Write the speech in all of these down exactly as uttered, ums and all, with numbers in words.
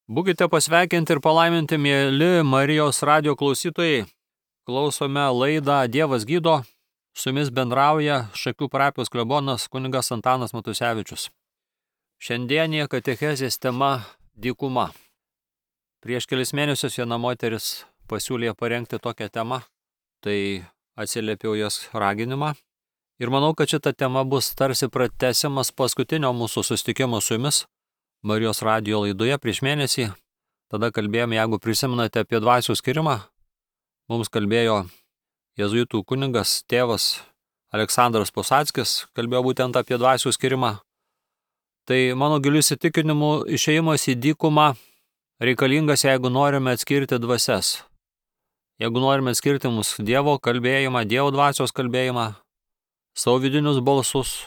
Būkite pasveikinti ir palaiminti, mėly Marijos radio klausytojai. Klausome laidą Dievas gydo. Su jumis bendrauja Šakių parapijos klebonas kunigas Antanas Matusevičius. Šiandienė katechezės tema dykuma. Prieš kelis mėnesius viena moteris pasiūlė parengti tokią temą, tai atsiliepiau jos raginimą. Ir manau, kad šita tema bus tarsi pratęsimas paskutinio mūsų susitikimo su jumis Marijos radio laidoje prieš mėnesį. Tada kalbėjome, jeigu prisimenate, apie dvasių skirimą. Mums kalbėjo jėzuitų kunigas, tėvas Aleksandras Posackis, kalbėjo būtent apie dvasių skirimą. Tai mano giliu įsitikinimu išėjimas į dykumą reikalingas, jeigu norime atskirti dvasias. Jeigu norime atskirti mūsų Dievo kalbėjimą, Dievo dvasios kalbėjimą, savo vidinius balsus,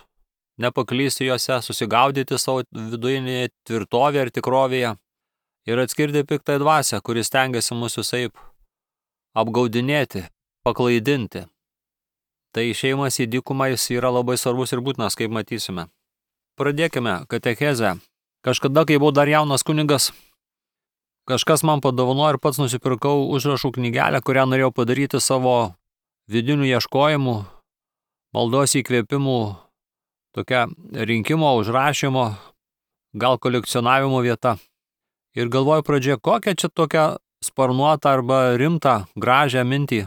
nepaklysti juose, susigaudyti savo vidujinėje tvirtovėje ir tikrovėje ir atskirti piktą dvasią, kuris stengiasi mus visaip apgaudinėti, paklaidinti. Tai išėjimas į dykumą jis yra labai svarbus ir būtinas, kaip matysime. Pradėkime katechezę. Kažkada, kai buvau dar jaunas kunigas, kažkas man padovanojo ir pats nusipirkau užrašų knygelę, kurią norėjau padaryti savo vidinių ieškojimų, maldos įkvėpimų, tokia rinkimo, užrašymo, gal kolekcionavimo vieta. Ir galvoju pradžioje, kokią čia tokią sparnuotą arba rimtą, gražią mintį,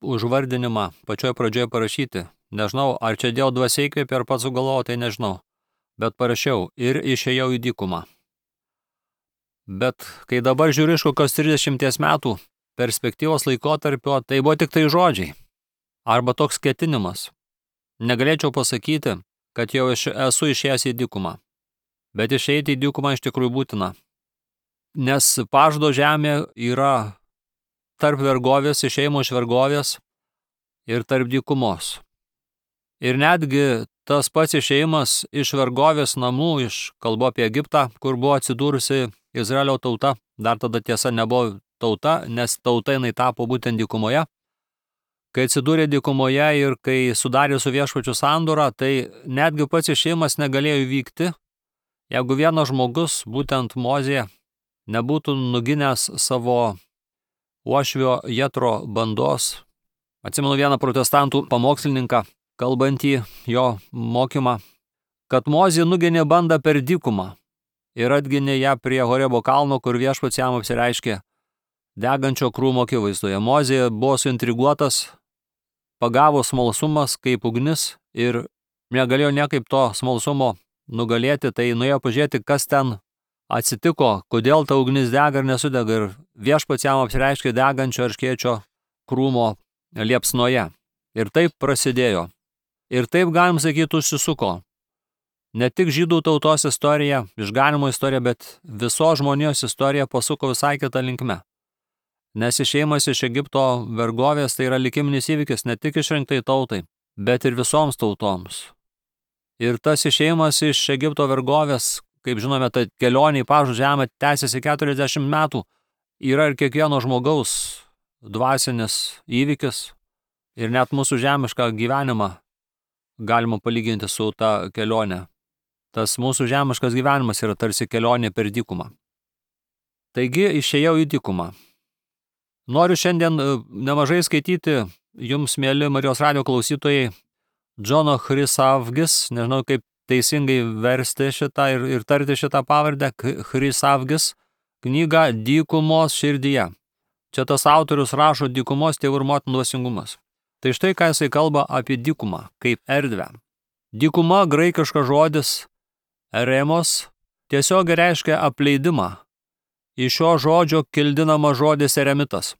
užvardinimą pačioje pradžioje parašyti. Nežinau, ar čia Dievo dvasia įkvėpė, ar pats sugalvojau, tai nežinau. Bet parašiau ir išėjau į dykumą. Bet kai dabar žiūriu iš kokios trisdešimties metų perspektyvos laikotarpio, tai buvo tik tai žodžiai. Arba toks ketinimas. Negalėčiau pasakyti, kad jau esu išėjęs į dykumą. Bet išeiti į dykumą iš tikrųjų būtina. Nes pažado žemė yra tarp vergovės, išėjimo iš vergovės ir tarp dykumos. Ir netgi tas pats išėjimas iš vergovės namų, iš kalbu apie Egiptą, kur buvo atsidūrusi Izraelio tauta, dar tada tiesa nebuvo tauta, nes tauta jinai tapo būtent dykumoje. Kai atsidūrė dykumoje ir kai sudarė su viešpačiu sandorą, tai netgi pats išėjimas negalėjo įvykti, jeigu vienas žmogus, būtent Mozė, nebūtų nuginęs savo uošvio Jetro bandos. Atsimenu vieną protestantų pamokslininką, kalbantį jo mokymą, kad Mozė nuginė bandą per dykumą ir atginė ją prie Horebo kalno, kur viešpats jam apsireiškė degančio krūmo akivaizdoje. Mozė buvo suintriguotas, pagavo smalsumas kaip ugnis ir negalėjo niekaip to smalsumo nugalėti, tai nuėjo pažiūrėti, kas ten atsitiko, kodėl ta ugnis dega ir nesudega, ir viešpats jam apsireiškė degančio erškėčio krūmo liepsnoje. Ir taip prasidėjo. Ir taip, galim sakyti, užsisuko. Ne tik žydų tautos istorija, išganimo istorija, bet visos žmonijos istorija pasuko visai kitą linkme. Nes išėjimas iš Egipto vergovės tai yra likiminis įvykis ne tik išrinktai tautai, bet ir visoms tautoms. Ir tas išėjimas iš Egipto vergovės, kaip žinome, ta kelionė į pažadą žemę tęsiasi keturiasdešimt metų, yra ir kiekvieno žmogaus dvasinis įvykis ir net mūsų žemišką gyvenimą galima palyginti su ta kelionė. Tas mūsų žemiškas gyvenimas yra tarsi kelionė per dykumą. Taigi išėjau į dykumą. Noriu šiandien nemažai skaityti jums, mėly Marijos radio klausytojai, Džono Chrysavgis, nežinau kaip teisingai versti šitą ir, ir tarti šitą pavardę, Chrysavgis, knygą Dykumos širdyje. Čia tas autorius rašo dykumos tėvų ir motinų dvasingumas. Tai štai ką jisai kalba apie dykumą, kaip erdvę. Dykuma, graikiškas žodis, eremos, tiesiog reiškia apleidimą. Iš šio žodžio kildinama žodis eremitas.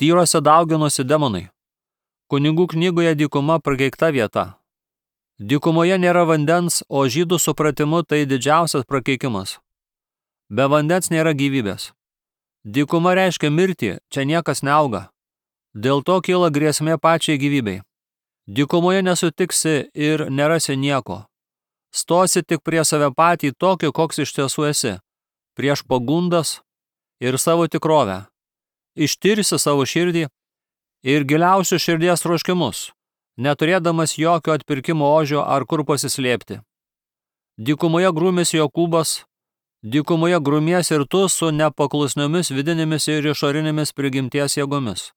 Tyrose dauginosi demonai. Kunigų knygoje dykuma prakeikta vieta. Dykumoje nėra vandens, o žydų supratimu tai didžiausias prakeikimas. Be vandens nėra gyvybės. Dykuma reiškia mirtį, čia niekas neauga. Dėl to kyla grėsmė pačiai gyvybei. Dykumoje nesutiksi ir nerasi nieko. Stosi tik prie save patį tokį, koks iš tiesų esi. Prieš pagundas ir savo tikrovę. Ištirsi savo širdį ir giliausius širdies troškimus, neturėdamas jokio atpirkimo ožio ar kur pasislėpti. Dykumoje grūmėsi Jokūbas, Dykumoje grumies ir tu su nepaklusniomis vidinėmis ir išorinėmis prigimties jėgomis.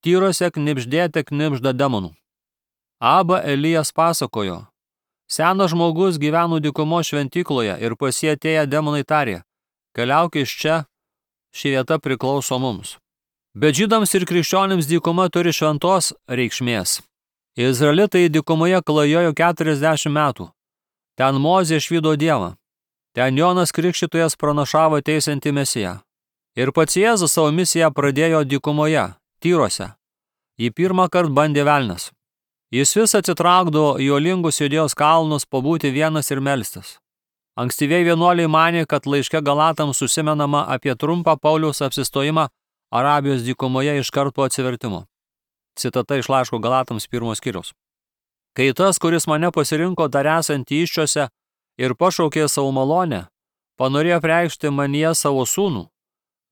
Tyrose knibždėte knibžda demonų. Aba Elijas pasakojo, senas žmogus gyveno dykumo šventykloje ir pas jį atėję demonai tarė, keliauk iš čia, ši vieta priklauso mums. Bet žydams ir krikščionims dykuma turi šventos reikšmės. Izraelitai dykumoje klajojo keturiasdešimt metų. Ten Mozė išvydo Dievą. Ten Jonas Krikštytojas pranašavo teisiantį Mesiją. Ir pats Jėzus savo misiją pradėjo dykumoje, Tyrose. Jį pirmą kartą bandė velnias. Jis vis atsitraukdavo į uolingus Judėjos kalnus pabūti vienas ir melstis. Ankstyvieji vienuoliai manė, kad laiške Galatams užsimenama apie trumpą Pauliaus apsistojimą Arabijos dykumoje iš karto po atsivertimo. Citata iš laiško Galatams pirmos skyriaus. Kai tas, kuris mane pasirinko dar esantį iščiose ir pašaukė savo malonę, panorėjo preikšti manyje savo sūnų,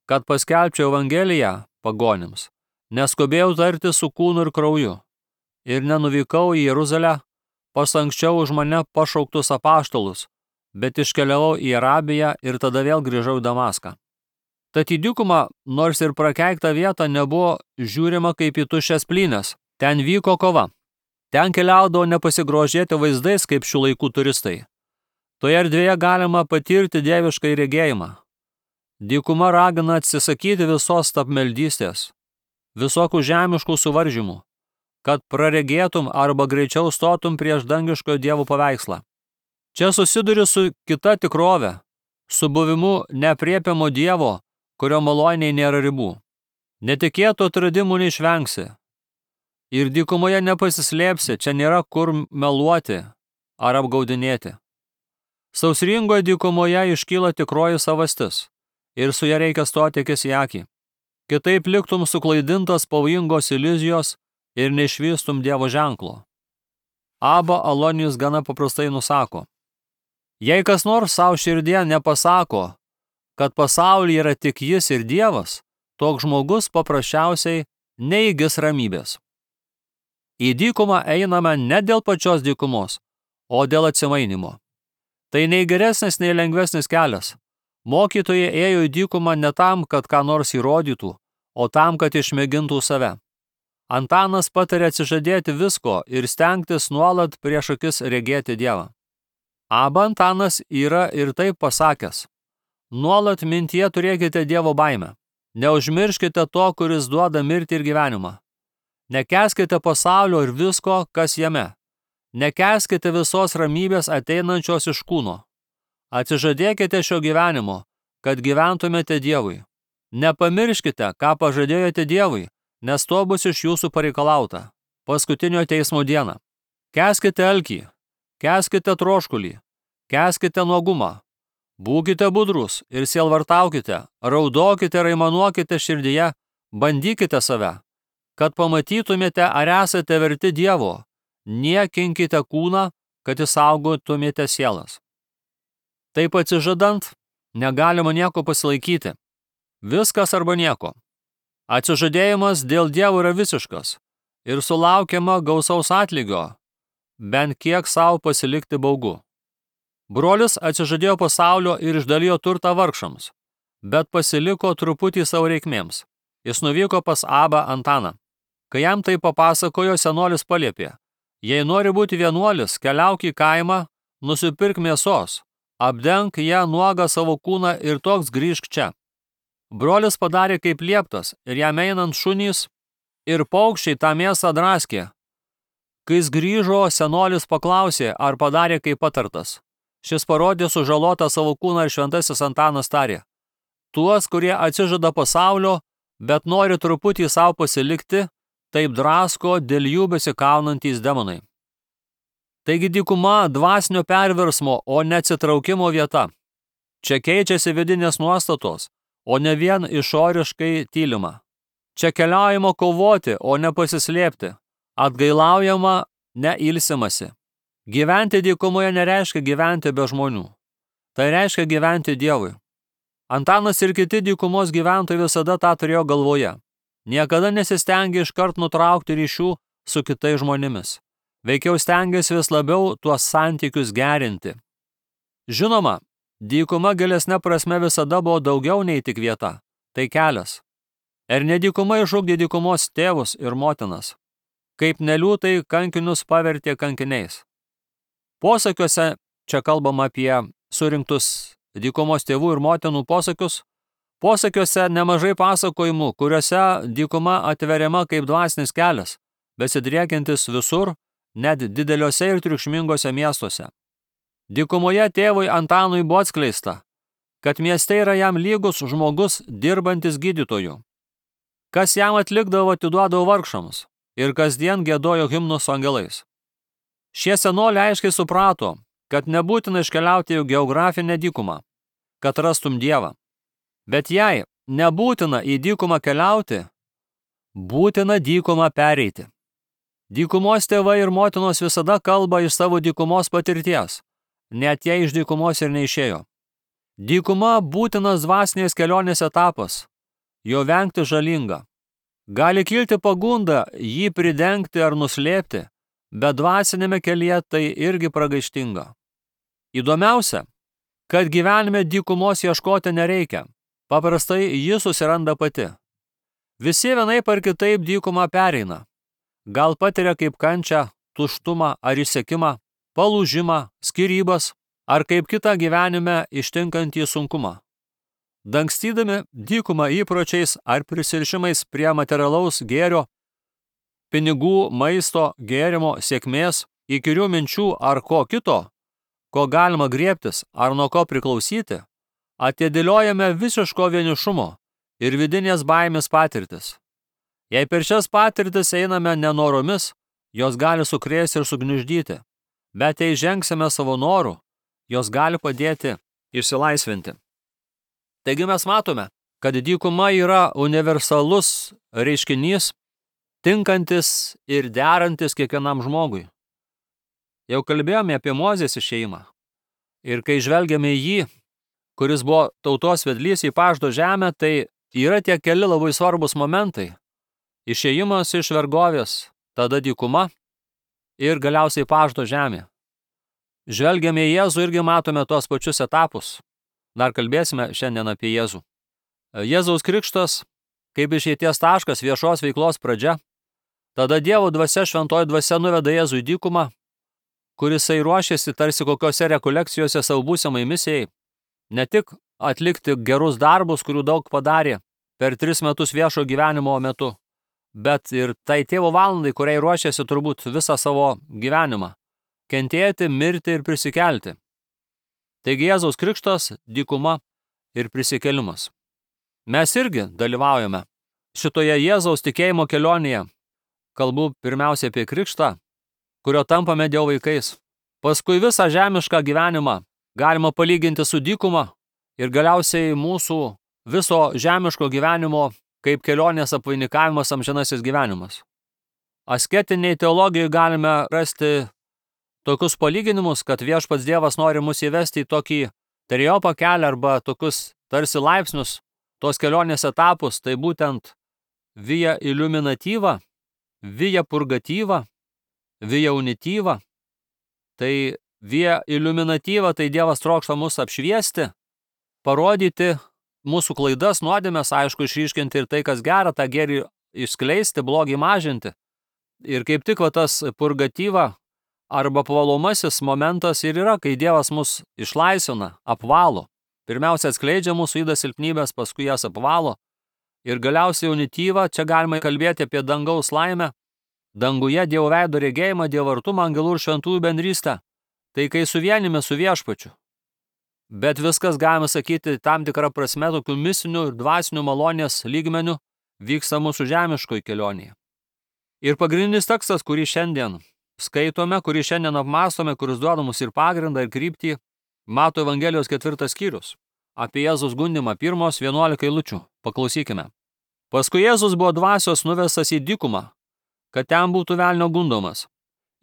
kad paskelbčiau Evangeliją pagonims, neskubėjau tarti su kūnu ir krauju, ir nenuvykau į Jeruzalę pas anksčiau už mane pašauktus apaštalus, bet iškeliavau į Arabiją ir tada vėl grįžau į Damaską. Tad į dykumą, nors ir prakeiktą vietą, nebuvo žiūrima kaip į tuščias plynes. Ten vyko kova. Ten keliaudavo nepasigrožėti vaizdais kaip šių laikų turistai. Toje erdvėje galima patirti dievišką regėjimą. Dykuma ragina atsisakyti visos tapmeldystės, visokių žemiškų suvaržymų, kad praregėtum arba greičiau stotum prieš dangiškojo Dievo paveikslą. Čia susiduri su kita tikrove, su buvimu neaprėpiamo Dievo, kurio maloniai nėra ribų. Netikėtų atradimų neišvengsi. Ir dykumoje nepasislėpsi, čia nėra kur meluoti ar apgaudinėti. Sausringoje dykumoje iškyla tikroji savastis ir su ja reikia stoti akis į akį. Kitaip liktum suklaidintas pavojingos iliuzijos ir neišvystum Dievo ženklo. Aba Alonijus gana paprastai nusako. Jei kas nors savo širdie nepasako, kad pasaulyje yra tik jis ir Dievas, toks žmogus paprasčiausiai neįgis ramybės. Į dykumą einame ne dėl pačios dykumos, o dėl atsimainimo. Tai nei geresnis, nei lengvesnis kelias. Mokytojai ėjo į dykumą ne tam, kad ką nors įrodytų, o tam, kad išmėgintų save. Antanas patarė atsižadėti visko ir stengtis nuolat prieš akis regėti Dievą. Aba Antanas yra ir taip pasakęs. Nuolat mintyje turėkite Dievo baimę. Neužmirškite to, kuris duoda mirtį ir gyvenimą. Nekęskite pasaulio ir visko, kas jame. Nekęskite visos ramybės ateinančios iš kūno. Atsižadėkite šio gyvenimo, kad gyventumėte Dievui. Nepamirškite, ką pažadėjote Dievui, nes to bus iš jūsų pareikalauta. Paskutinio teismo dieną. Kęskite alkį, kęskite troškulį, kęskite nuogumą. Būkite budrus ir sielvartaukite, raudokite ir aimanuokite širdyje, bandykite save, kad pamatytumėte, ar esate verti Dievo, niekinkite kūną, kad išsaugotumėte sielas. Taip atsižadant, negalima nieko pasilaikyti. Viskas arba nieko. Atsižadėjimas dėl Dievo yra visiškas ir sulaukiama gausaus atlygio, bent kiek savo pasilikti baugu. Brolis atsižadėjo pasaulio ir išdalijo turtą vargšams, bet pasiliko truputį savo reikmėms. Jis nuvyko pas Abą Antaną. Kai jam tai papasakojo, senolis paliepė, jei nori būti vienuolis, keliauk į kaimą, nusipirk mėsos, apdenk ją nuogą savo kūną ir toks grįžk čia. Brolis padarė kaip lieptas ir jam einant šunys ir paukščiai tą mėsą draskė. Kai jis grįžo, senolis paklausė, ar padarė kaip patartas. Šis parodė sužalotą savo kūną ir šventasis Antanas tarė. Tuos, kurie atsižada pasaulio, bet nori truputį savo pasilikti, taip drasko dėl jų besikaunantys demonai. Taigi dykuma dvasinio perversmo, o ne atsitraukimo vieta. Čia keičiasi vidinės nuostatos, o ne vien išoriškai tylima. Čia keliaujama kovoti, o ne pasislėpti. Atgailaujama, ne ilsimasi. Gyventi dykumoje nereiškia gyventi be žmonių. Tai reiškia gyventi Dievui. Antanas ir kiti dykumos gyventojai visada tą turėjo galvoje. Niekada nesistengė iškart nutraukti ryšių su kitais žmonėmis. Veikiau stengėsi vis labiau tuos santykius gerinti. Žinoma, Dykuma gilesne prasme visada buvo daugiau nei tik vieta. Tai kelias. Ir ne dykuma išugdė dykumos tėvus ir motinas. Kaip neliūtai kankinius pavertė kankiniais. Posakiuose, čia kalbama apie surinktus dykumos tėvų ir motinų posakius, posakiuose nemažai pasakojimų, kuriuose dykuma atveriama kaip dvasinis kelias, besidriekiantis visur, net dideliuose ir triukšmingose miestuose. Dykumoje tėvui Antanui buvo atskleista, kad mieste yra jam lygus žmogus dirbantis gydytoju. Kas jam atlikdavo, atiduodavo vargšams ir kasdien giedojo himnus su angelais. Šie senoliai aiškiai suprato, kad nebūtina iškeliauti į geografinę dykumą, kad rastum Dievą. Bet jei nebūtina į dykumą keliauti, būtina dykumą pereiti. Dykumos tėvai ir motinos visada kalba iš savo dykumos patirties, net jei iš dykumos ir neišėjo. Dykuma būtinas dvasinės kelionės etapas, jo vengti žalinga. Gali kilti pagunda jį pridengti ar nuslėpti, bet dvasinėme kelyje tai irgi pragaištinga. Įdomiausia, kad gyvenime dykumos ieškoti nereikia, paprastai ji susiranda pati. Visi vienaip ar kitaip dykumą pereina. Gal patiria kaip kančią, tuštumą ar išsekimą, palūžimą, skyrybas, ar kaip kitą gyvenime ištinkantį sunkumą. Dangstydami dykumą įpročiais ar prisirišimais prie materialaus gėrio, pinigų, maisto, gėrimo, sėkmės, įkyrių minčių ar ko kito, ko galima griebtis ar nuo ko priklausyti, atidėliojame visiško vienišumo ir vidinės baimės patirtis. Jei per šias patirtis einame nenoromis, jos gali sukrėsti ir sugniuždyti, bet jei žengsime savo norų, jos gali padėti išsilaisvinti. Taigi mes matome, kad dykuma yra universalus reiškinys, tinkantis ir derantis kiekvienam žmogui. Jau kalbėjome apie Mozės išėjimą. Ir kai žvelgiame į jį, kuris buvo tautos vedlys į pažado žemę, tai yra tie keli labai svarbus momentai. Išėjimas iš vergovės, tada dykuma ir galiausiai pažado žemė. Žvelgiame į Jėzų irgi matome tuos pačius etapus. Dar kalbėsime šiandien apie Jėzų. Jėzaus krikštas, kaip išeities taškas, viešos veiklos pradžia. Tada Dievo dvasia, šventoji dvasia nuveda Jėzų į dykumą, kurisai ruošėsi tarsi kokiose rekolekcijose savo būsimai misijai, ne tik atlikti gerus darbus, kurių daug padarė per tris metus viešo gyvenimo metu, bet ir tai tėvo valandai, kuriai ruošėsi turbūt visą savo gyvenimą, kentėti, mirti ir prisikelti. Taigi Jėzaus krikštas, dykuma ir prisikėlimas. Mes irgi dalyvaujame šitoje Jėzaus tikėjimo kelionėje. Kalbu pirmiausia apie krikštą, kurio tampame Dievo vaikais. Paskui visą žemišką gyvenimą galima palyginti su dykuma ir galiausiai mūsų viso žemiško gyvenimo kaip kelionės apvainikavimas amžinasis gyvenimas. Asketiniai teologijai galime rasti tokius palyginimus, kad viešpats Dievas nori mus įvesti į tokį trejopą kelią arba tokius tarsi laipsnius, tos kelionės etapus, tai būtent via illuminativa, via purgativa, via unitiva. Tai via illuminativa, tai Dievas trokšta mus apšviesti, parodyti mūsų klaidas, nuodėmes, aišku, išryškinti ir tai, kas gera, tą gėrį išskleisti, blogį mažinti. Ir kaip tik va tas purgativa, arba pavalomasis momentas ir yra, kai Dievas mus išlaisvina, apvalo. Pirmiausia atskleidžia mūsų ydas silpnybės, paskui jas apvalo. Ir galiausiai unityva, čia galima kalbėti apie dangaus laimę, danguje Dievo veido regėjimą, Dievo artumą, angelų ir šventųjų bendrystę. Tai kai suvienime su viešpačiu. Bet viskas, galima sakyti, tam tikrą prasme tokių misinių ir dvasinių malonės lygmenių vyksta mūsų žemiškoj kelionėje. Ir pagrindinis tekstas, kurį šiandien skaitome, kurį šiandien apmastome, kuris duoda mums ir pagrindą, ir kryptį, Mato Evangelijos ketvirtas skyrius. Apie Jėzaus gundymą pirmos vienuolika eilučių. Paklausykime. Paskui Jėzus buvo dvasios nuvestas į dykumą, kad ten būtų velnio gundomas.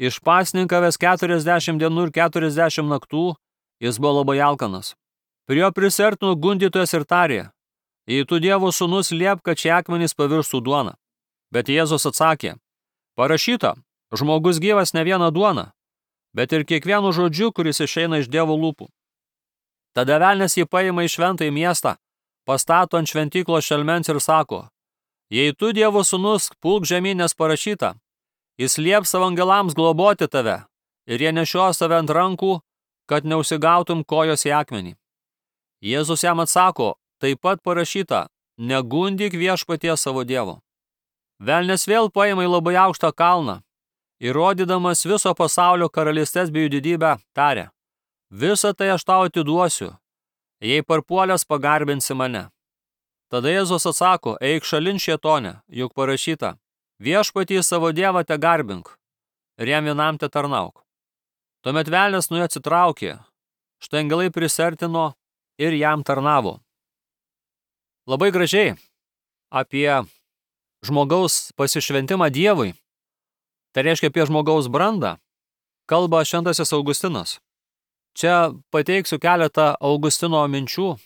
Išpasninkavęs keturiasdešimt dienų ir keturiasdešimt naktų, jis buvo labai alkanas. Prie jo prisertino gundytojas ir tarė: jei tu Dievo sūnus, liepk, kad šie akmenys pavirstų duona. Bet Jėzus atsakė: parašyta, žmogus gyvas ne viena duona, bet ir kiekvienu žodžiu, kuris išeina iš Dievo lūpų. Tada velnias jį paima į šventąjį miestą, pastato ant šventyklos šelmens ir sako, jei tu Dievo sūnus, pulk žemyn, nes parašyta, jis lieps savo angelams globoti tave, ir jie nešios tave ant rankų, kad neužsigautum kojos į akmenį. Jėzus jam atsako, taip pat parašyta, negundyk viešpaties savo Dievo. Velnias vėl paima į labai aukštą kalną, įrodydamas viso pasaulio karalystės bei jų didybę, tarė, visą tai aš tau atiduosiu, jei parpuolęs pagarbinsi mane. Tada Jėzus atsako, eik šalin šėtone, juk parašyta, viešpatį savo Dievą te garbink, ir jam vienam te tarnauk. Tuomet velnias nuo jo atsitraukė, štai angelai prisertino ir jam tarnavo. Labai gražiai apie žmogaus pasišventimą Dievui, tai reiškia apie žmogaus brandą, kalba šventasis Augustinas. Čia pateiksiu keletą Augustino minčių,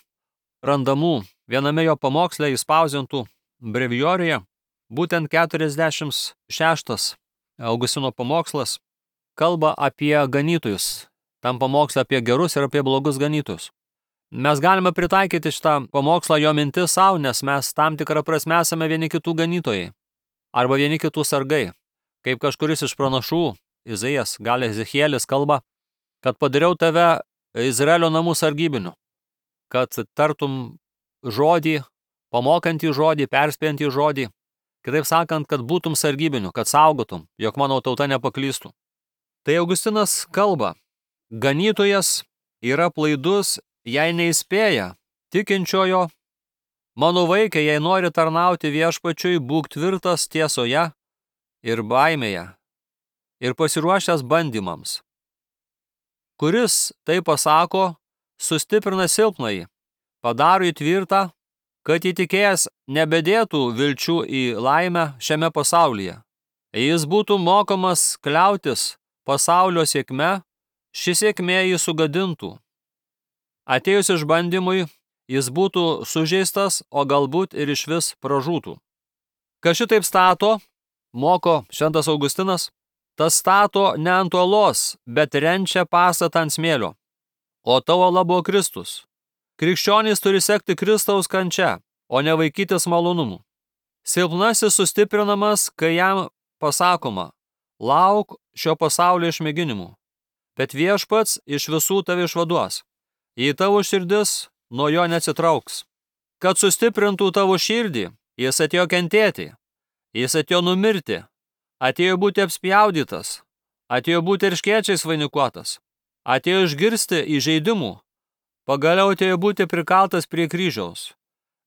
randamų viename jo pamoksle įspausdintų brevijoriuje, būtent keturiasdešimt šeštas Augustino pamokslas kalba apie ganytojus, tam pamoksle apie gerus ir apie blogus ganytojus. Mes galime pritaikyti šitą pamokslą jo mintis savo, nes mes tam tikrą prasme esame vieni kitų ganytojai, arba vieni kitų sargai. Kaip kažkuris iš pranašų, Izaijas, gal Ezechielis kalba, kad padariau tave Izraelio namų sargybiniu, kad tartum žodį, pamokantį žodį, perspėjantį žodį, kitaip sakant, kad būtum sargybiniu, kad saugotum, jog mano tauta nepaklystų. Tai Augustinas kalba, ganytojas yra plaidus, jei neįspėja tikinčiojo, mano vaikai, jei nori tarnauti viešpačiui, būk tvirtas tiesoje ir baimėje ir pasiruošęs bandymams. Kuris tai pasako, sustiprina silpnąjį, padaro jį tvirtą, kad įtikėjęs nebedėtų vilčių į laimę šiame pasaulyje. Jis būtų mokomas kliautis pasaulio sėkme, ši sėkmė jį sugadintų. Atėjus išbandymui, jis būtų sužeistas, o galbūt ir išvis pražūtų. Kas šitaip stato, moko šventas Augustinas, tas stato ne ant uolos, bet renčia pastatą ant smėlio. O tavo uola buvo Kristus. Krikščionys turi sekti Kristaus kančia, o ne vaikytis malonumų. Silpnasis sustiprinamas, kai jam pasakoma, lauk šio pasaulio išmėginimų, bet viešpats iš visų tave išvaduos. Jei tavo širdis nuo jo neatsitrauks. Kad sustiprintų tavo širdį, jis atėjo kentėti, jis atėjo numirti, atėjo būti apspjaudytas, atėjo būti erškėčiais vainikuotas, atėjo išgirsti įžeidimų, pagaliau atėjo būti prikaltas prie kryžiaus.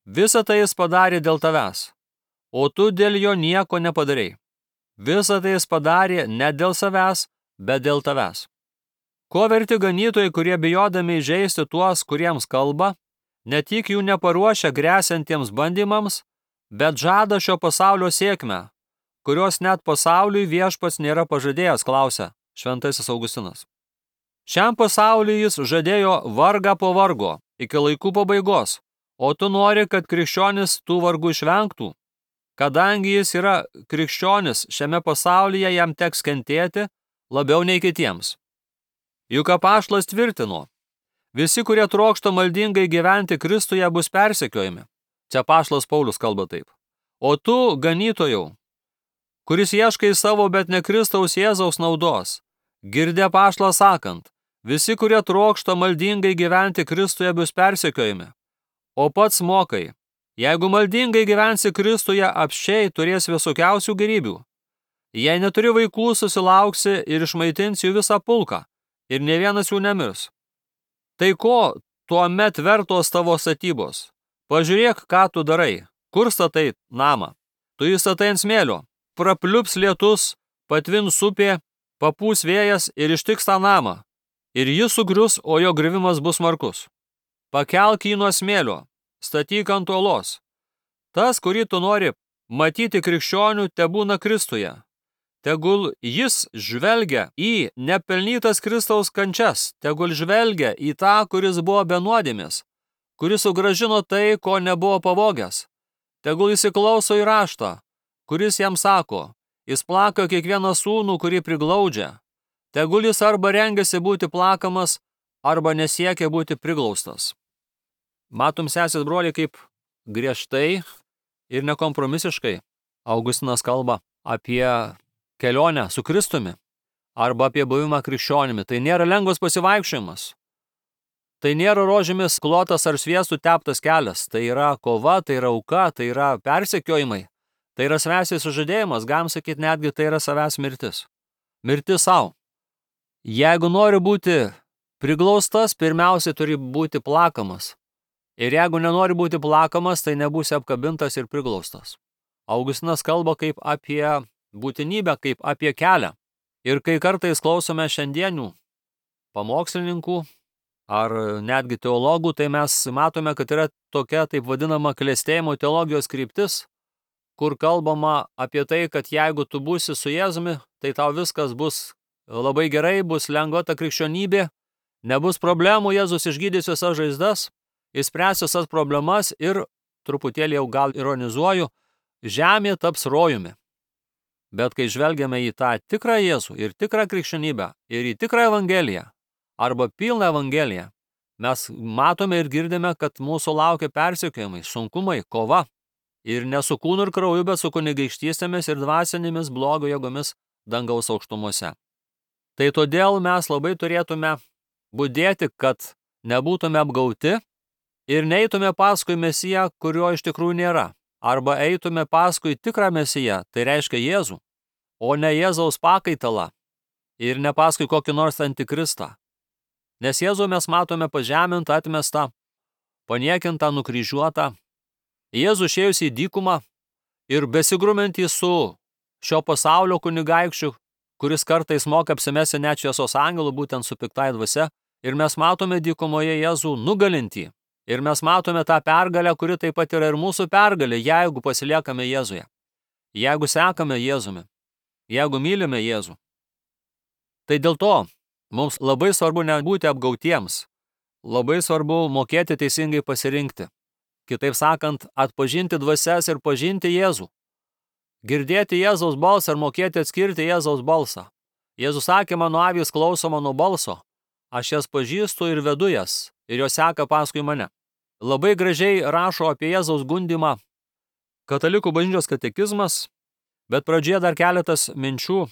Visą tai jis padarė dėl tavęs, o tu dėl jo nieko nepadarei. Visą tai jis padarė ne dėl savęs, bet dėl tavęs. Ko verti ganytojai, kurie bijodami įžeisti tuos, kuriems kalba, ne tik jų neparuošia gresiantiems bandymams, bet žada šio pasaulio sėkmę, kurios net pasauliui viešpats nėra pažadėjęs, klausia šventasis Augustinas. Šiam pasauliui jis žadėjo vargą po vargo, iki laikų pabaigos, o tu nori, kad krikščionis tų vargų išvengtų. Kadangi jis yra krikščionis, šiame pasaulyje jam teks kentėti labiau nei kitiems. Juk apaštalas tvirtino, visi, kurie trokšta maldingai gyventi Kristuje, bus persekiojami. Čia apaštalas Paulius kalba taip. O tu, ganytojau, kuris ieškai savo, bet ne Kristaus Jėzaus naudos, girdi apaštalą sakant, visi, kurie trokšta maldingai gyventi Kristuje, bus persekiojami. O pats mokai, jeigu maldingai gyvensi Kristuje, apsčiai turės visokiausių gerybių. Jei neturi vaikų, susilauksi ir išmaitinsi jų visą pulką, ir ne vienas jų nemirs. Tai ko tuomet vertos tavo statybos? Pažiūrėk, ką tu darai. Kur statai namą? Tu jį statai ant smėlio. Prapliups lietus, patvins upė, papūs vėjas ir ištiks tą namą. Ir jis sugrius, o jo griuvimas bus smarkus. Pakelk jį nuo smėlio, statyk ant uolos. Tas, kurį tu nori matyti krikščionių, tebūna Kristuje. Tegul jis žvelgia į nepelnytas Kristaus kančias, tegul žvelgia į tą, kuris buvo be nuodėmės, kuris sugrąžino tai, ko nebuvo pavogęs. Tegul įsiklauso į raštą, kuris jam sako, jis plaka kiekvieną sūnų, kurį priglaudžia. Tegul jis arba rengiasi būti plakamas, arba nesiekia būti priglaustas. Matom, sesės broliai, kaip griežtai ir nekompromisiškai Augustinas kalba apie kelionę su Kristumi arba apie buvimą krikščionimi. Tai nėra lengvas pasivaikščiojimas. Tai nėra rožėmis klotas ar sviestų teptas kelias. Tai yra kova, tai yra auka, tai yra persekiojimai. Tai yra savęs sužadėjimas, galim sakyti netgi tai yra savęs mirtis. Mirtis savo. Jeigu nori būti priglaustas, pirmiausiai turi būti plakamas. Ir jeigu nenori būti plakamas, tai nebūsi apkabintas ir priglaustas. Augustinas kalba kaip apie būtinybę, kaip apie kelią. Ir kai kartais klausome šiandienių pamokslininkų ar netgi teologų, tai mes matome, kad yra tokia taip vadinama klestėjimo teologijos kryptis, kur kalbama apie tai, kad jeigu tu būsi su Jėzumi, tai tau viskas bus labai gerai, bus lengva ta krikščionybė, nebus problemų, Jėzus išgydys visas žaizdas, išspręs visas problemas ir, truputėlį jau gal ironizuoju, žemė taps rojumi. Bet kai žvelgiame į tą tikrą Jėzų ir tikrą krikščionybę ir į tikrą evangeliją arba pilną evangeliją, mes matome ir girdime, kad mūsų laukia persekiojimai, sunkumai, kova. Ir ne su kūnu ir krauju, bet su kunigaikštystėmis ir dvasinėmis blogio jėgomis dangaus aukštumose. Tai todėl mes labai turėtume budėti, kad nebūtume apgauti ir neitume paskui Mesiją, kurio iš tikrųjų nėra. Arba eitume paskui tikrą Mesiją, tai reiškia Jėzų, o ne Jėzaus pakaitalą ir ne paskui kokį nors antikristą. Nes Jėzų mes matome pažemintą, atmestą, paniekintą, nukryžiuotą. Jėzų išėjus į dykumą ir besigrumentį su šio pasaulio kunigaikščiu, kuris kartais moka apsimesti net šviesos angelų, būtent su piktai dvasia, ir mes matome dykumoje Jėzų nugalintį. Ir mes matome tą pergalę, kuri taip pat yra ir mūsų pergalė, jeigu pasiliekame Jėzuje, jeigu sekame Jėzumi, jeigu mylime Jėzų. Tai dėl to mums labai svarbu nebūti apgautiems, labai svarbu mokėti teisingai pasirinkti. Kitaip sakant, atpažinti dvasias ir pažinti Jėzų. Girdėti Jėzaus balsą ir mokėti atskirti Jėzaus balsą. Jėzus sakė, mano avys klauso mano balso, aš jas pažįstu ir vedu jas, ir jos seka paskui mane. Labai gražiai rašo apie Jėzaus gundymą Katalikų bažnyčios katekizmas, bet pradžioje dar keletas minčių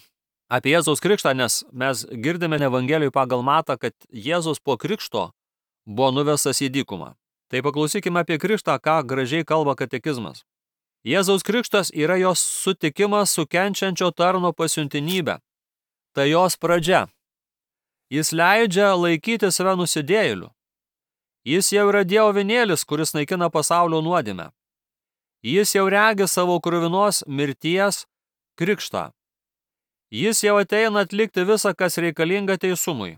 apie Jėzaus krikštą, nes mes girdime Evangelijoje pagal Matą, kad Jėzus po krikšto buvo nuvestas į dykumą. Tai paklausykime apie krikštą, ką gražiai kalba katekizmas. Jėzaus krikštas yra jos sutikimas su kenčiančio tarno pasiuntinybė. Tai jos pradžia. Jis leidžia laikyti save nusidėjėliu. Jis jau yra Dievo avinėlis, kuris naikina pasaulio nuodėmę. Jis jau regi savo kruvinos mirties krikštą. Jis jau ateina atlikti visą, kas reikalinga teisumui.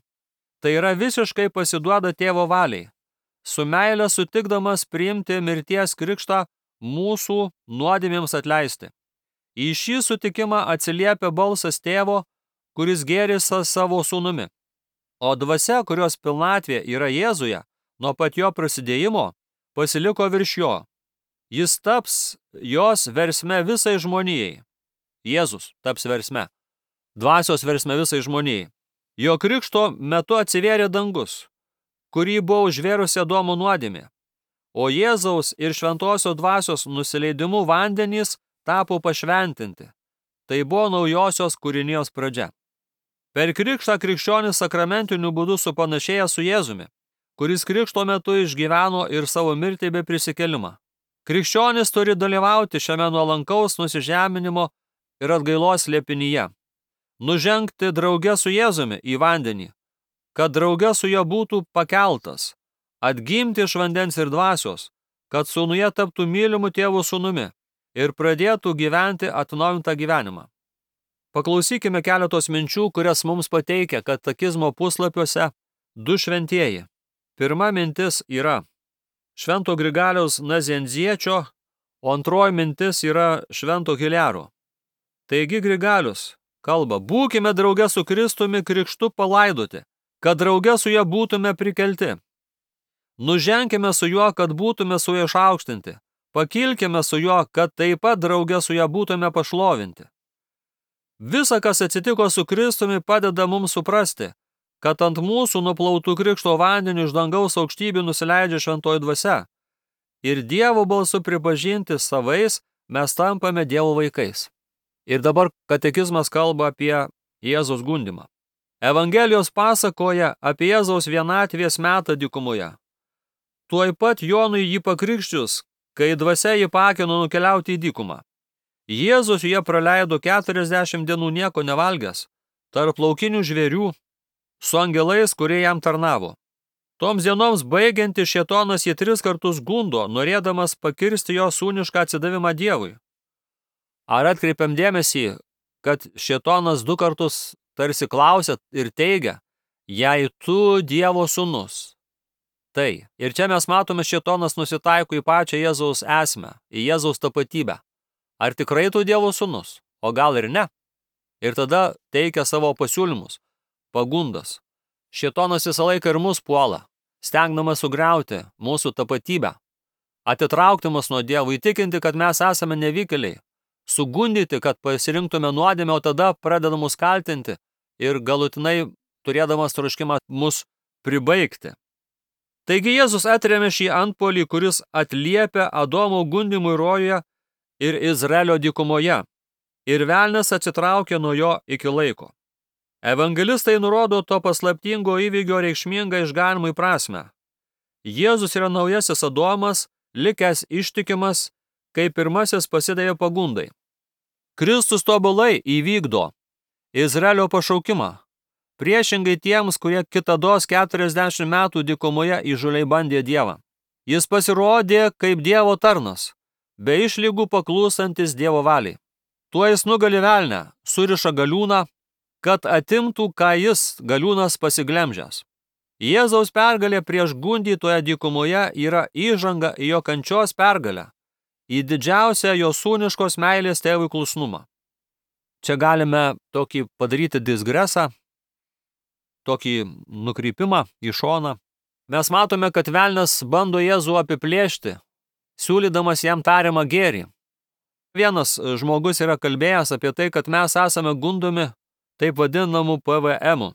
Tai yra visiškai pasiduoda tėvo valiai, su meile sutikdamas priimti mirties krikštą mūsų nuodėmėms atleisti. Į šį sutikimą atsiliepia balsas tėvo, kuris gėrisi savo sūnumi. O dvasia, kurios pilnatvė yra Jėzuje, nuo pat jo prasidėjimo, pasiliko virš jo. Jis taps jos versme visai žmonijai. Jėzus taps versme. Dvasios versme visai žmonijai. Jo krikšto metu atsivėrė dangus, kurį buvo užvėrusi Adomo nuodėmė. O Jėzaus ir šventosios dvasios nusileidimu vandenys tapo pašventinti. Tai buvo naujosios kūrinijos pradžia. Per krikštą krikščionis sakramentiniu būdu supanašėja su Jėzumi, kuris krikšto metu išgyveno ir savo mirtį bei prisikelimą. Krikščionis turi dalyvauti šiame nuolankaus nusižeminimo ir atgailos slėpinyje. Nužengti drauge su Jėzumi į vandenį, kad drauge su juo būtų pakeltas, atgimti iš vandens ir dvasios, kad sūnuje taptų mylimu tėvų sūnumi ir pradėtų gyventi atnaujintą gyvenimą. Paklausykime keletos minčių, kurias mums pateikia katekizmo puslapiuose du šventieji. Pirma mintis yra Švento Grigaliaus Nazianziečio, o antroji mintis yra Švento Hilero. Taigi Grigalius kalba, būkime drauge su Kristumi krikštu palaidoti, kad drauge su juo būtume prikelti. Nuženkime su juo, kad būtume su juo išaukštinti. Pakilkime su juo, kad taip pat drauge su juo būtume pašlovinti. Visa, kas atsitiko su Kristumi, padeda mums suprasti, kad ant mūsų nuplautų krikšto vandeniu iš dangaus aukštybių nusileidžia šventoji dvasia. Ir Dievo balsu pripažinti savais mes tampame Dievo vaikais. Ir dabar katekizmas kalba apie Jėzaus gundymą. Evangelijos pasakoja apie Jėzaus vienatvės metą dykumoje. Tuoj pat Jonui jį pakrikščius, kai dvasia jį pakino nukeliauti į dykumą. Jėzus jie praleido keturiasdešimt dienų nieko nevalgęs, tarp laukinių žvėrių, su angelais, kurie jam tarnavo. Toms dienoms baigiantis šėtonas jį tris kartus gundo, norėdamas pakirsti jo sūnišką atsidavimą Dievui. Ar atkreipiam dėmesį, kad šėtonas du kartus tarsi klausia ir teigia, jei tu Dievo sūnus? Tai. Ir čia mes matome, šėtonas nusitaiko į pačią Jėzaus esmę, į Jėzaus tapatybę. Ar tikrai tu Dievo sūnus? O gal ir ne? Ir tada teikia savo pasiūlymus, pagundas. Šėtonas visą laiką ir mus puola, stengdamas sugriauti mūsų tapatybę, atitraukti mus nuo Dievo, įtikinti, kad mes esame nevykėliai, sugundyti, kad pasirinktume nuodėmę, o tada pradeda mus kaltinti ir galutinai turėdamas troškimą mus pribaigti. Taigi Jėzus atrėmė šį antpuolį, kuris atliepia Adomo gundymui rojuje ir Izraelio dykumoje, ir velnias atsitraukė nuo jo iki laiko. Evangelistai nurodo to paslaptingo įvykio reikšmingą išganimui prasmę. Jėzus yra naujasis Adomas, likęs ištikimas, kai pirmasis pasidavė pagundai. Kristus tobulai įvykdo Izraelio pašaukimą, priešingai tiems, kurie kitados keturiasdešimt metų dykumoje įžūliai bandė Dievą. Jis pasirodė kaip Dievo tarnas, be išlygų paklūsantis Dievo valiai. Tuo jis nugali velnę, suriša galiūną, kad atimtų, ką jis, galiūnas, pasiglemžęs. Jėzaus pergalė prieš gundytoją dykumoje yra įžanga į jo kančios pergalę, į didžiausią jo sūniškos meilės tėvui klusnumą. Čia galime tokį padaryti disgresą, tokį nukrypimą į šoną. Mes matome, kad velnias bando Jėzų apiplėšti, siūlydamas jam tariamą gėrį. Vienas žmogus yra kalbėjęs apie tai, kad mes esame gundomi taip vadinamų P V M-ų.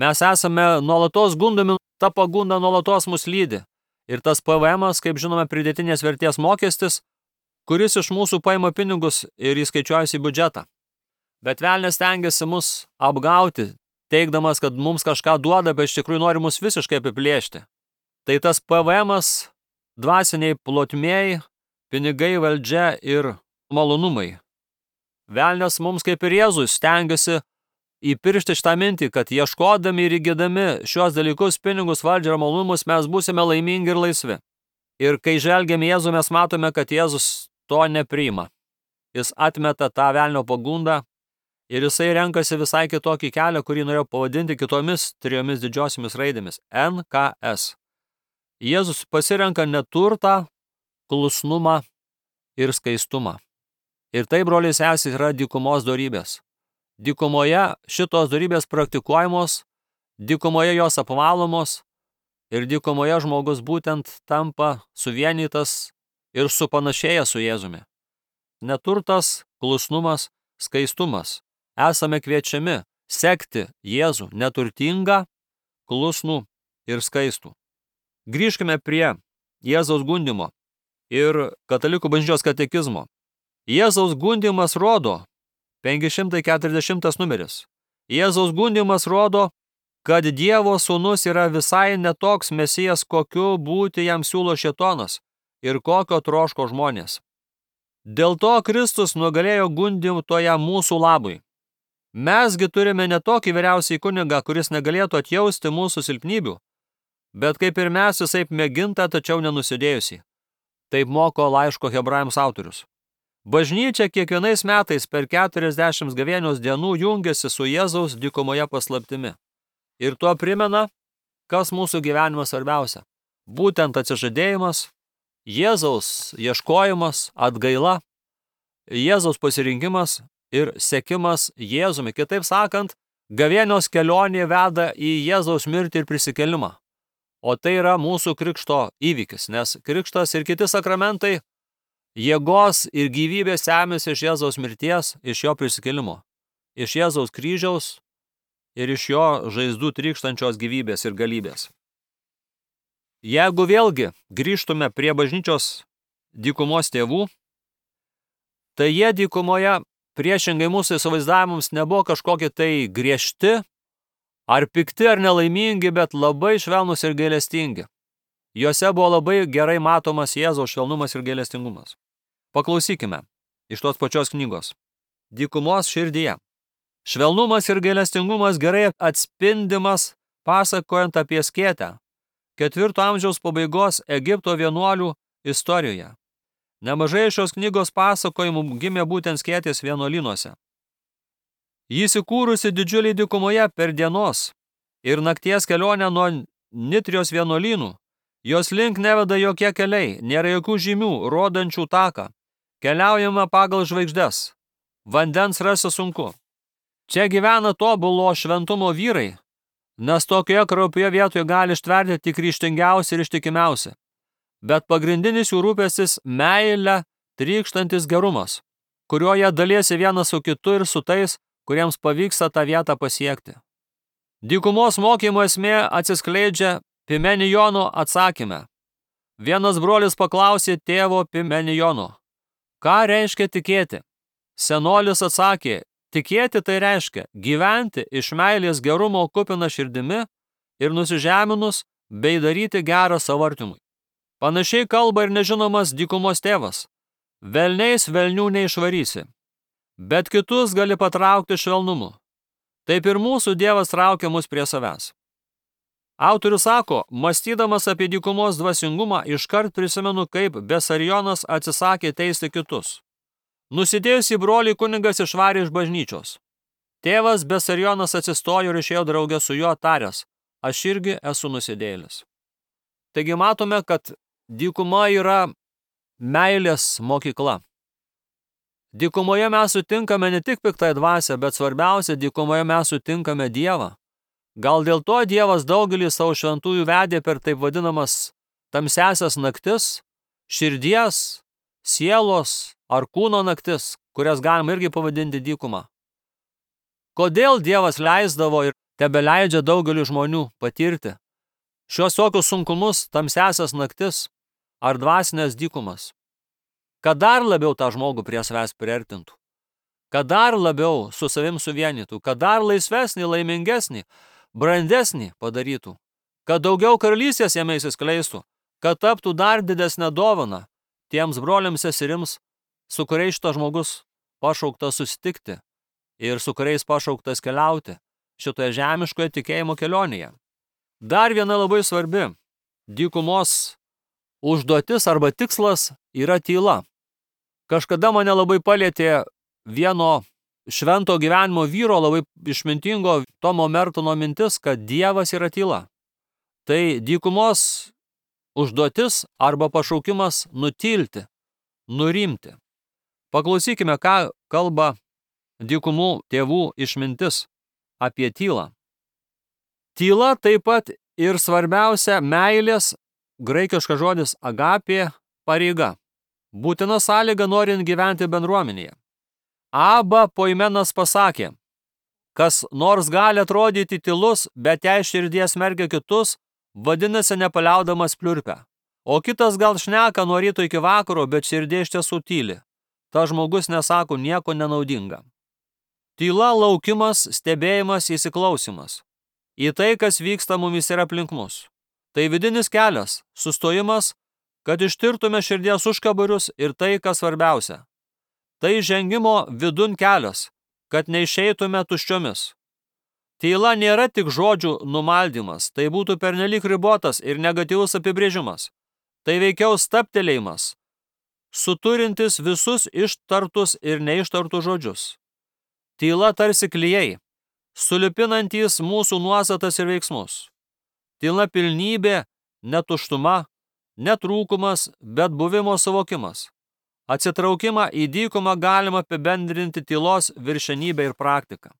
Mes esame nuolatos gundomi, ta pagunda nuolatos mus lydi. Ir tas P V M-as, kaip žinome, pridėtinės vertės mokestis, kuris iš mūsų paima pinigus ir įskaičiuojasi į biudžetą. Bet velnias stengiasi mus apgauti, teigdamas, kad mums kažką duoda, bet iš tikrųjų nori mus visiškai apiplėšti. Tai tas P V M-as, dvasiniai plotmėjai, pinigai, valdžia ir malonumai. Velnias mums kaip ir Jėzui stengiasi įpiršti šitą mintį, kad ieškodami ir įgydami šios dalykus, pinigus, valdžią ir malonumus, mes būsime laimingi ir laisvi. Ir kai žvelgiame Jėzų, mes matome, kad Jėzus to nepriima. Jis atmeta tą velnio pagundą ir jisai renkasi visai kitokį kelią, kurį norėjo pavadinti kitomis trijomis didžiosiomis raidėmis – N K S. Jėzus pasirenka neturtą, klusnumą ir skaistumą. Ir tai, broliai sesės, yra dykumos dorybės. Dykumoje šitos dorybės praktikuojamos, dykumoje jos apvalomos ir dykumoje žmogus būtent tampa suvienytas ir supanašėja su Jėzumi. Neturtas, klusnumas, skaistumas. Esame kviečiami sekti Jėzų neturtingą, klusnų ir skaistų. Grįžkime prie Jėzaus gundymo ir katalikų bažnyčios katekizmo. Jėzaus gundymas rodo, penki šimtai keturiasdešimtas numeris, Jėzaus gundymas rodo, kad Dievo sūnus yra visai netoks mesijas, kokiu būti jam siūlo šėtonas ir kokio troško žmonės. Dėl to Kristus nugalėjo gundymtoją mūsų labui. Mesgi turime ne tokį vyriausiai kunigą, kuris negalėtų atjausti mūsų silpnybių, bet kaip ir mes visaip mėginta, tačiau nenusidėjusi. Taip moko laiško Hebrajams autorius. Bažnyčia kiekvienais metais per keturiasdešimt gavėnios dienų jungiasi su Jėzaus dykumoje paslaptimi. Ir tuo primena, kas mūsų gyvenime svarbiausia. Būtent atsižadėjimas, Jėzaus ieškojimas, atgaila, Jėzaus pasirinkimas ir sekimas Jėzumi. Kitaip sakant, gavėnios kelionė veda į Jėzaus mirtį ir prisikėlimą. O tai yra mūsų krikšto įvykis, nes krikštas ir kiti sakramentai jėgos ir gyvybės semėsi iš Jėzaus mirties, iš jo prisikėlimo, iš Jėzaus kryžiaus ir iš jo žaizdų trykštančios gyvybės ir galybės. Jeigu vėlgi grįžtume prie bažnyčios dykumos tėvų, tai jie dykumoje priešingai mūsų įsivaizdavimams nebuvo kažkokie tai griežti, ar pikti, ar nelaimingi, bet labai švelnus ir gailestingi. Juose buvo labai gerai matomas Jėzaus švelnumas ir gailestingumas. Paklausykime iš tos pačios knygos. Dykumos širdyje. Švelnumas ir gailestingumas gerai atspindimas pasakojant apie skėtę, ketvirto amžiaus pabaigos Egipto vienuolių istorijoje. Nemažai šios knygos pasakojimų gimė būtent skėtės vienuolynuose. Jis įkūrusi didžiuliai dykumoje per dienos ir nakties kelionę nuo Nitrijos vienuolynų. Jos link neveda jokie keliai, nėra jokių žymių, rodančių taką. Keliaujama pagal žvaigždes. Vandens rasti sunku. Čia gyvena tobulo šventumo vyrai, nes tokioje kraupioje vietoje gali ištverti tik ryžtingiausi ir ištikimiausi. Bet pagrindinis jų rūpestis meilė trykštantis gerumas, kuriuo jie daliesi vienas su kitu ir su tais, kuriems pavyksta tą vietą pasiekti. Dykumos mokymo esmė atsiskleidžia Pimenijono atsakyme. Vienas brolis paklausė tėvo Pimenijono, ką reiškia tikėti? Senolis atsakė, tikėti tai reiškia gyventi iš meilės gerumo kupina širdimi ir nusižeminus bei daryti gerą savo artimui. Panašiai kalba ir nežinomas dykumos tėvas. Velniais velnių neišvarysi, bet kitus gali patraukti švelnumu. Taip ir mūsų Dievas traukia mus prie savęs. Autorius sako, mąstydamas apie dykumos dvasingumą, iškart prisimenu, kaip Besarijonas atsisakė teisti kitus. Nusidėjusį brolį kunigas išvarė iš bažnyčios. Tėvas Besarijonas atsistojo ir išėjo draugę su juo taręs, aš irgi esu nusidėjėlis. Taigi matome, kad dykuma yra meilės mokykla. Dykumoje mes sutinkame ne tik piktąją dvasią, bet svarbiausia, dykumoje mes sutinkame Dievą. Gal dėl to Dievas daugelį savo šventųjų vedė per taip vadinamas tamsiasias naktis, širdies, sielos ar kūno naktis, kurias galima irgi pavadinti dykuma. Kodėl Dievas leisdavo ir tebeleidžia daugeliu žmonių patirti šios tokius sunkumus, tamsiasias naktis ar dvasinės dykumas? Kad dar labiau tą žmogų prie savęs priartintų, kad dar labiau su savim suvienytų, kad dar laisvesnį, laimingesnį, brandesnį padarytų, kad daugiau karalystės jame įsiskleistų, kad taptų dar didesnę dovaną tiems broliams seserims, su kuriais šitas žmogus pašauktas susitikti ir su kuriais pašauktas keliauti šitoje žemiškoje tikėjimo kelionėje. Dar viena labai svarbi dykumos užduotis arba tikslas yra tyla. Kažkada mane labai palietė vieno švento gyvenimo vyro, labai išmintingo Tomo Mertono mintis, kad Dievas yra tyla. Tai dykumos užduotis arba pašaukimas nutilti, nurimti. Paklausykime, ką kalba dykumų tėvų išmintis apie tylą. Tyla taip pat ir svarbiausia meilės, graikiškas žodis agapė, pareiga. Būtina sąlyga norint gyventi bendruomenėje. Aba Poimenas pasakė, kas nors gali atrodyti tylus, bet jei širdies mergia kitus, vadinasi nepaliaudamas pliurpia. O kitas gal šneka nuo ryto iki vakaro, bet širdie iš tiesų tyli. Ta žmogus nesako nieko nenaudinga. Tyla laukimas, stebėjimas, įsiklausimas. Į tai, kas vyksta mumis ir aplink mus. Tai vidinis kelias, sustojimas, kad ištirtume širdies užkabarius ir tai, kas svarbiausia. Tai žengimo vidun kelias, kad neišeitume tuščiomis. Tyla nėra tik žodžių numaldymas, tai būtų pernelyg ribotas ir negatyvus apibrėžimas. Tai veikiau stabtelėjimas, suturintis visus ištartus ir neištartus žodžius. Tyla tarsi klijai, sulipinantys mūsų nuostatas ir veiksmus. Tyla pilnybė, netuštuma, netrūkumas, bet buvimo suvokimas. Atsitraukimą į dykumą galima apibendrinti tylos viršenybę ir praktiką.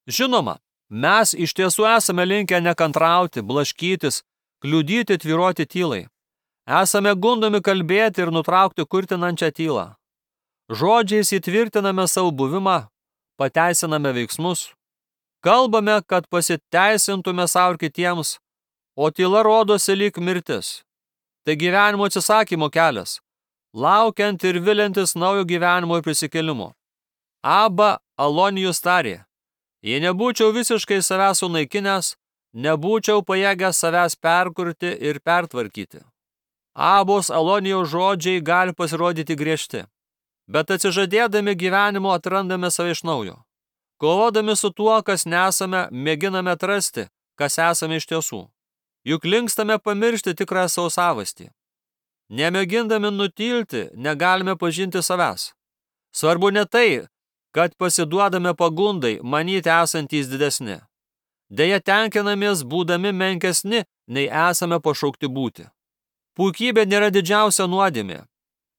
Žinoma, mes iš tiesų esame linkę nekantrauti, blaškytis, kliudyti, tvyruoti tylai. Esame gundomi kalbėti ir nutraukti kurtinančią tylą. Žodžiais įtvirtiname savo buvimą, pateisiname veiksmus. Kalbame, kad pasiteisintume savo ir kitiems, o tyla rodosi lyg mirtis. Tai gyvenimo atsisakymo kelias, laukiant ir viliantis naujo gyvenimo ir prisikėlimo. Abba Alonijus tarė, jei nebūčiau visiškai savęs sunaikinęs, nebūčiau pajėgęs savęs perkurti ir pertvarkyti. Abos Alonijaus žodžiai gali pasirodyti griežti, bet atsižadėdami gyvenimo atrandame save iš naujo. Kovodami su tuo, kas nesame, mėginame atrasti, kas esame iš tiesų. Juk linkstame pamiršti tikrą savo savastį. Nemėgindami nutilti, negalime pažinti savęs. Svarbu ne tai, kad pasiduodame pagundai, manyti esantys didesni. Deja, tenkinamės būdami menkesni, nei esame pašaukti būti. Puikybė nėra didžiausia nuodėmė.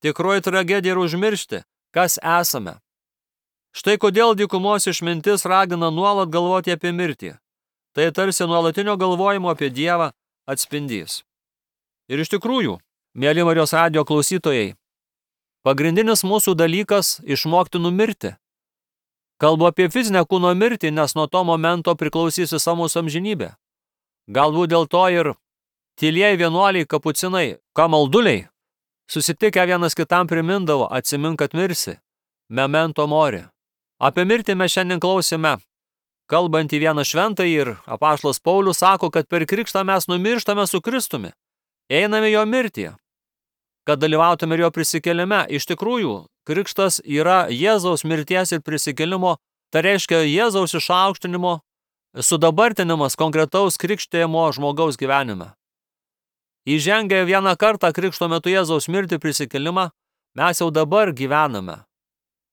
Tikroji tragedija yra užmiršti, kas esame. Štai kodėl dykumos išmintis ragina nuolat galvoti apie mirtį. Tai tarsi nuolatinio galvojimo apie Dievą atspindys. Ir iš tikrųjų, mieli Marijos radijo klausytojai, pagrindinis mūsų dalykas išmokti numirti. Kalbu apie fizinę kūno mirtį, nes nuo to momento priklausys visa mūsų amžinybė. Galbūt dėl to ir tylieji vienuoliai, kapucinai, kamalduliai, susitikę vienas kitam primindavo, atsimink, kad mirsi, memento mori. Apie mirtį mes šiandien klausime. Kalbant į vieną šventąjį ir apaštalas Paulius sako, kad per krikštą mes numirštame su Kristumi, einame jo mirtyje, kad dalyvautume ir jo prisikėlime. Iš tikrųjų, krikštas yra Jėzaus mirties ir prisikėlimo, tai reiškia Jėzaus išaukštinimo, sudabartinimas konkretaus krikštėjimo žmogaus gyvenime. Įžengę vieną kartą krikšto metu Jėzaus mirtį prisikėlimą, mes jau dabar gyvename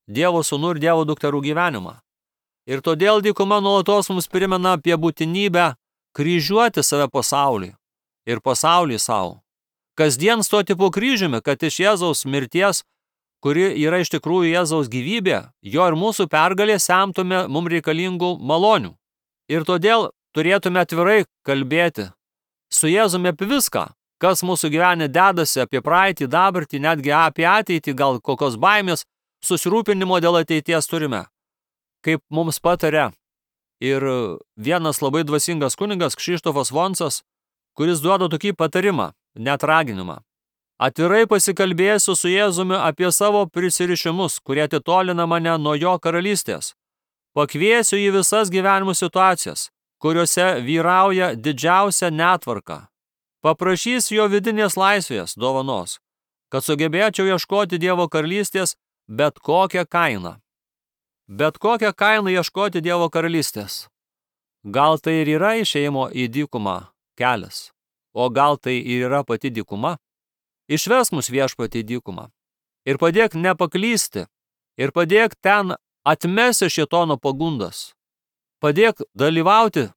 Dievo sūnų ir Dievo dukterų gyvenimą. Ir todėl dykuma nuolatos mums primena apie būtinybę kryžiuoti save pasaulį ir pasaulį savo. Kasdien stoti po kryžiumi, kad iš Jėzaus mirties, kuri yra iš tikrųjų Jėzaus gyvybė, jo ir mūsų pergalė semtume mums reikalingų malonių. Ir todėl turėtume atvirai kalbėti su Jėzumi apie viską, kas mūsų gyvenime dedasi, apie praeitį, dabartį, netgi apie ateitį, gal kokios baimės, susirūpinimo dėl ateities turime. Kaip mums patarė ir vienas labai dvasingas kunigas Kšištofas Vonsas, kuris duoda tokį patarimą, net raginimą. Atvirai pasikalbėsiu su Jėzumi apie savo prisirišimus, kurie atitolina mane nuo jo karalystės. Pakviesiu į visas gyvenimo situacijas, kuriuose vyrauja didžiausia netvarka. Paprašysiu jo vidinės laisvės dovanos, kad sugebėčiau ieškoti Dievo karalystės bet kokią kainą. Bet kokią kainą ieškoti Dievo karalystės. Gal tai ir yra išėjimo į dykumą kelias, o gal tai ir yra pati dykuma? Išvesk mus viešpatį į dykumą ir padėk nepaklysti ir padėk ten atmesti šėtono pagundas. Padėk dalyvauti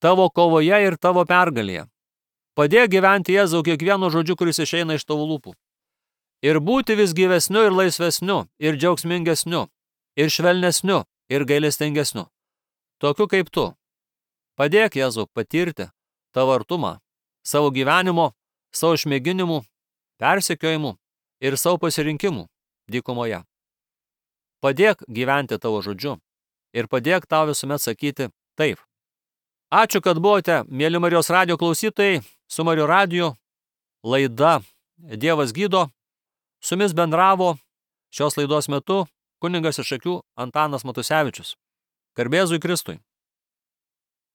tavo kovoje ir tavo pergalėje. Padėk gyventi Jėzau kiekvienu žodžiu, kuris išeina iš tavo lūpų. Ir būti vis gyvesniu ir laisvesniu ir džiaugsmingesniu ir švelnesniu, ir gailestingesniu, tokiu kaip tu. Padėk, Jėzau, patirti tavo artumą, savo gyvenimo, savo išmėginimų, persekiojimų ir savo pasirinkimų dykumoje. Padėk gyventi tavo žodžiu ir padėk tau visuomet sakyti taip. Ačiū, kad buvote, mėly Marijos radijo klausytojai, su Marijos radiju, laida Dievas gydo, su jumis bendravo šios laidos metu kunigas iš Šakių Antanas Matusevičius. Garbė Jėzui Kristui.